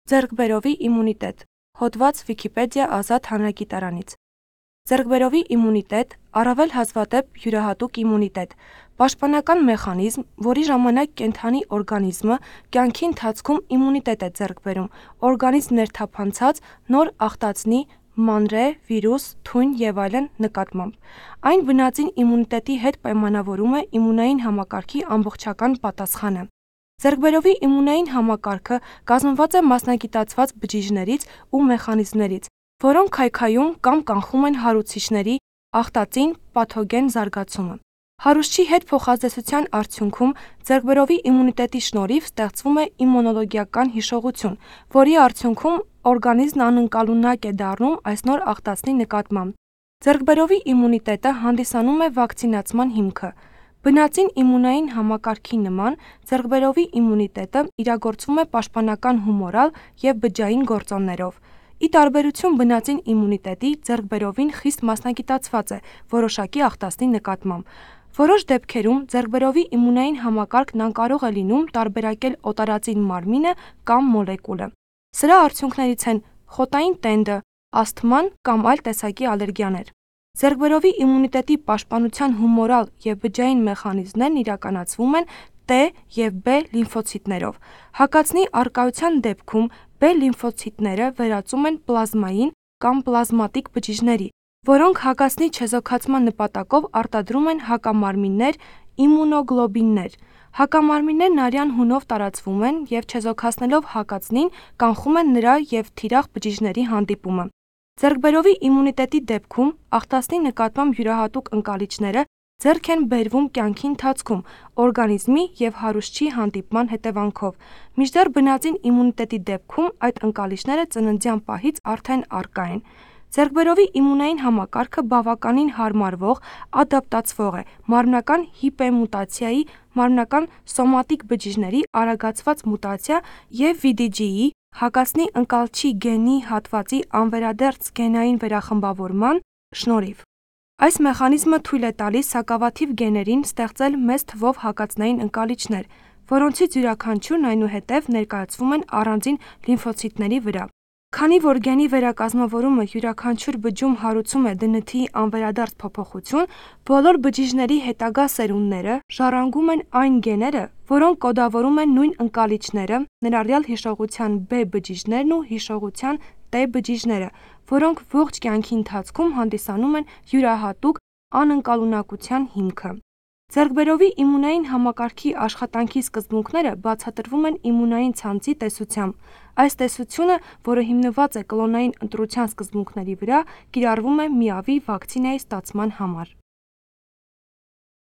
Ձեռքբերովի իմունիտետ։ Հոդված Վիքիպեդիա ազատ հանրագիտարանից։ Ձեռքբերովի իմունիտետ, առավել հազվադեպ յուրահատուկ իմունիտետ, պաշտպանական մեխանիզմ, որի ժամանակ կենդանի օրգանիզմը կյանքի ընթացքում իմունիտետ է ձեռք բերում օրգանիզմ ներթափանցած նոր ախտածնի, մանրէ, վիրուս, թույն եւ այլն նկատմամբ։ Այն բնածին իմունիտետի հետ պայմանավորում է իմունային համակարգի ամբողջական պատասխանը։ Ձեռքբերովի իմունային համակարգը կազմված է մասնագիտացված բջիջներից ու մեխանիզմներից, որոնք քայքայում կամ կանխում են հարուցիչների ախտածին պաթոգեն զարգացումը։ Հարուցչի հետ փոխազդեցության արդյունքում ձեռքբերովի իմունիտետի շնորհիվ ստեղծվում է իմունոլոգիական հիշողություն, որի արդյունքում օրգանիզմն անընկալունակ է դառնում այս նոր ախտածնի նկատմամբ։ Ձեռքբերովի իմունիտետը հանդիսանում է վակցինացման հիմքը։ Բնածին իմունային համակարգի նման ձեռքբերովի իմունիտետը իրագործվում է պաշտպանական հումորալ և բջջային գործոններով։ Ի տարբերություն բնածին իմունիտետի, ձեռքբերովին խիստ մասնագիտացված է որոշակի ախտածնի նկատմամբ։ Որոշ դեպքերում ձեռքբերովի իմունային համակարգն անկարող է լինում տարբերակել օտարածին մարմինը կամ մոլեկուլը։ Սրա արդյունքներից են խոտային տենդը, ասթման կամ այլ տեսակի ալերգիաներ։ Ձեռքբերովի իմունիտետի պաշտպանության հումորալ և բջջային մեխանիզմներն իրականացվում են T և B լիմֆոցիտներով։ Հակածնի առկայության դեպքում B լիմֆոցիտները վերածում են պլազմային կամ պլազմատիկ բջիջների, որոնք հակածնի չեզոքացման նպատակով արտադրում են հակամարմիններ իմունոգլոբիններ։ Հակամարմիններն արյան հունով տարածվում են և չեզոքացնելով հակածնին կանխում են նրա և թիրախ բջիջների հանդիպումը։ Ձեռքբերովի իմունիտետի դեպքում ախտածնի նկատմամբ յուրահատուկ ընկալիչները ձեռք են բերվում կյանքի ընթացքում օրգանիզմի և հարուցչի հանդիպման հետևանքով, մինչդեռ բնածին իմունիտետի դեպքում այդ ընկալիչները ծննդյան պահից արդեն առկա են։ Ձեռքբերովի իմունային համակարգը բավականին հարմարվող, ադապտացվող է մարմնական հիպերմուտացիայի, մարմնական սոմատիկ բջիջների արագացված մուտացիա և VDG-ի, հակածնի ընկալչի գենի հատվածի անվերադարձ գենային վերախմբավորման շնորհիվ։ Այս մեխանիզմը թույլ է տալիս սակավաթիվ գեներին ստեղծել մեծ թվով հակածնային ընկալիչներ, որոնցից յուրաքանչյուրն այնուհետև ներկայացվում են առանձին լիմֆոցիտների վրա։ Քանի որ գենի վերակազմավորումը յուրաքանչյուր բջջում հարուցում է ԴՆԹ-ի անվերադարձ փոփոխություն, բոլոր բջիջների հետագա սերունդները ժառանգում են այն գեները, որոնք կոդավորում են նույն ընկալիչները, ներառյալ հիշողության B բջիջներն ու հիշողության T բջիջները, որոնք ողջ կյանքի ընթացքում հանդիսանում են յուրահատուկ անընկալունակության հիմքը։ Ձեռքբերովի իմունային համակարգի աշխատանքի սկզբունքները բացատրվում են իմունային ցանցի տեսությամբ։ Այս տեսությունը, որը հիմնված է կլոնային ընտրության սկզբունքների վրա, կիրառվում է ՄԻԱՎ-ի վակցինայի ստացման համար։